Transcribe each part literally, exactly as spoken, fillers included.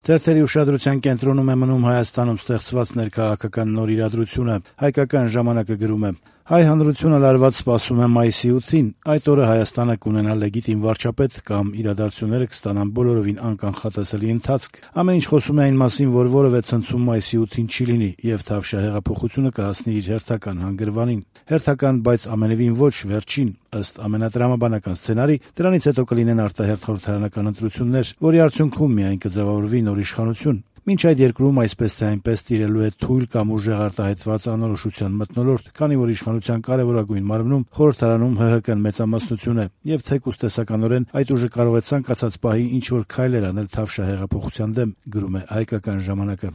Թերթերի ուշադրության կենտրոնում է մնում Հայաստանում ստեղծված ներքաղաքական նոր իրադրությունը։ Հայկական ժամանակը գրում է. «Հայ հանրությունը լարված սպասում է մայիսի ութին։ Այդ օրը Հայաստանը կունենա լեգիտիմ վարչապետ կամ իրադարձությունները կստանան բոլորովին անկանխատեսելի ընթացք։ Ամեն ինչ խոսում է այն մասին, որ որևէ ցնցում մայիսի ութին չի լինի, եւ Թավշյա հեղափոխությունը կհասնի իր հերթական հանգրվանին։ Հերթական, բայց ամենևին ոչ վերջին։ Ըստ ամենատրամաբանական սցենարի, դրանից հետո կլինեն արտահերթ խորհրդարանական ընտրություններ, որի արդյունքում միայն կձևավորվի նոր իշխանություն։ Մինչ այդ երկրում այսպես թե այնպես տիրելու է թույլ կամ ուժեղ արտահայտված անորոշության մթնոլորտ, քանի որ իշխանության կարևորագույն մարմնում խորհրդարանում ՀՀԿ-ն մեծամասնություն է, եւ թեկուզ տեսականորեն այդ ուժը կարող է ցանկացած պահի ինչ-որ քայլեր անել Թավշյա հեղափոխության դեմ», գրում է Հայկական ժամանակը։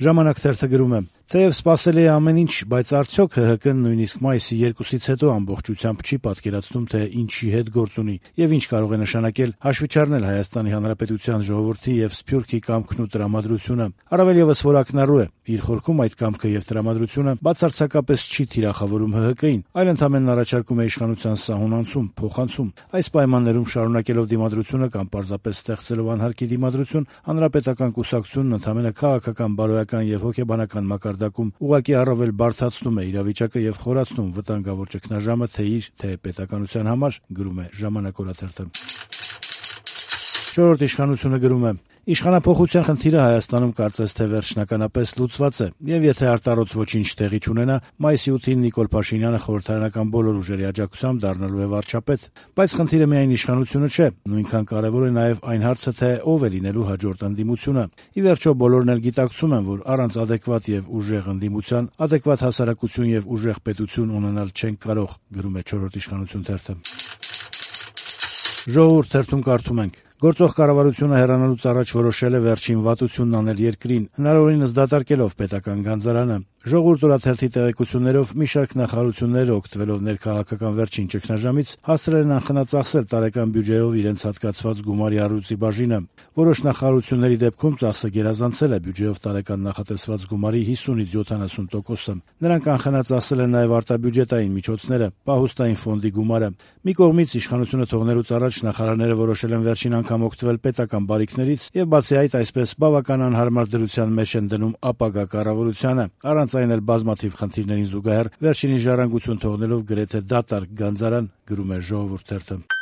Ժամանակ թերթը գրում է. «Թեև սպասելի է ամեն ինչ, բայց արդյոք ՀՀԿ-ն նույնիսկ մայիսի երկուսից հետո ամբողջությամբ չի պատկերացնում, թե ինչի հետ գործ ունի եւ ինչ կարող է նշանակել հաշվիչարնել Հայաստանի Հանրապետության ժողովրդի եւ Սփյուռքի կամքն ու տրամադրությունը։ Առավել եւս որ ակնառու է, իր խորքում այդ կամքը եւ տրամադրությունը բացարձակապես չի թիրախավորում ՀՀԿ-ին, այլ ընդամենն առաջարկում է իշխանության սահուն անցում, փոխանցում։ Այս պայմաններում շարունակելով դիմադրությունը կամ պարզապես ստեղծելով անհարկի դիմադրություն, հանրապետական կուսակցությունն ընդամենը քաղաքական, բարոյական եւ հոգեբանական մակարդակում ուղղակի առավել բարդացնում է իրավիճակը եւ խորացնում վտանգավոր ճգնաժամը թե իր, թե պետականության համար», գրում է Ժամանակ օրաթերթը։ Չորրորդ իշխանությունը գրում է. «Իշխանափոխության խնդիրը Հայաստանում կարծես թե վերջնականապես լուծված է, եւ եթե արտառոց ոչինչ տեղի չունենա, մայիսի ութին Նիկոլ Փաշինյանը խորհրդարանական բոլոր ուժերի աջակցությամբ դառնալու է վարչապետ։ Բայց խնդիրը միայն իշխանությունը չէ, նույնքան կարեւոր է նաեւ այն հարցը, թե ով է լինելու հաջորդ ընդդիմությունը։ Ի վերջո բոլորն էլ գիտակցում են, որ առանց ադեկվատ եւ ուժեղ ընդդիմության ադեկվատ հասարակություն եւ ուժեղ պետություն ունենալ չենք կարող», գրում է Չորրորդ իշխանություն թերթը։ Ժողովուրդ թերթում կարդում ենք. «Գործող կառավարությունը հեռանալուց առաջ որոշել է վերջին վատությունն անել երկրին, հնարավորինս դատարկելով պետական գանձարանը։ Ժողովուրդ օրաթերթի տեղեկություններով մի շարք նախարարություններ, օգտվելով ներքաղաքական վերջին ճգնաժամից, հասցրել են անխնա-ծախսել տարեկան բյուջեով իրենց հատկացված գումարի առյուծի բաժինը։ Որոշ նախարարությունների դեպքում ծախսը գերազանցել է բյուջեով տարեկան նախատեսված գումարի հիսունից յոթանասուն տոկոսը։ Նրանք անխնա-ծախսել են նաև արտաբյուջետային միջոցները, պահուստային ֆոնդի գումարը։ Մի կողմից իշխանությունը թողնելուց առաջ նախարարները որոշել են վերջին անգամ օգտվել պետական բարիքներից եւ բացի այդ այսպես բավական անհարմար դրության մեջ են դնում ապագա կառավարությանը, առանց այն էլ բազմաթիվ խնդիրներին զուգահեռ վերջինի ժառանգություն թողնելով գրեթե դատարկ գանձարան», գրում է Ժողովուրդ թերթը։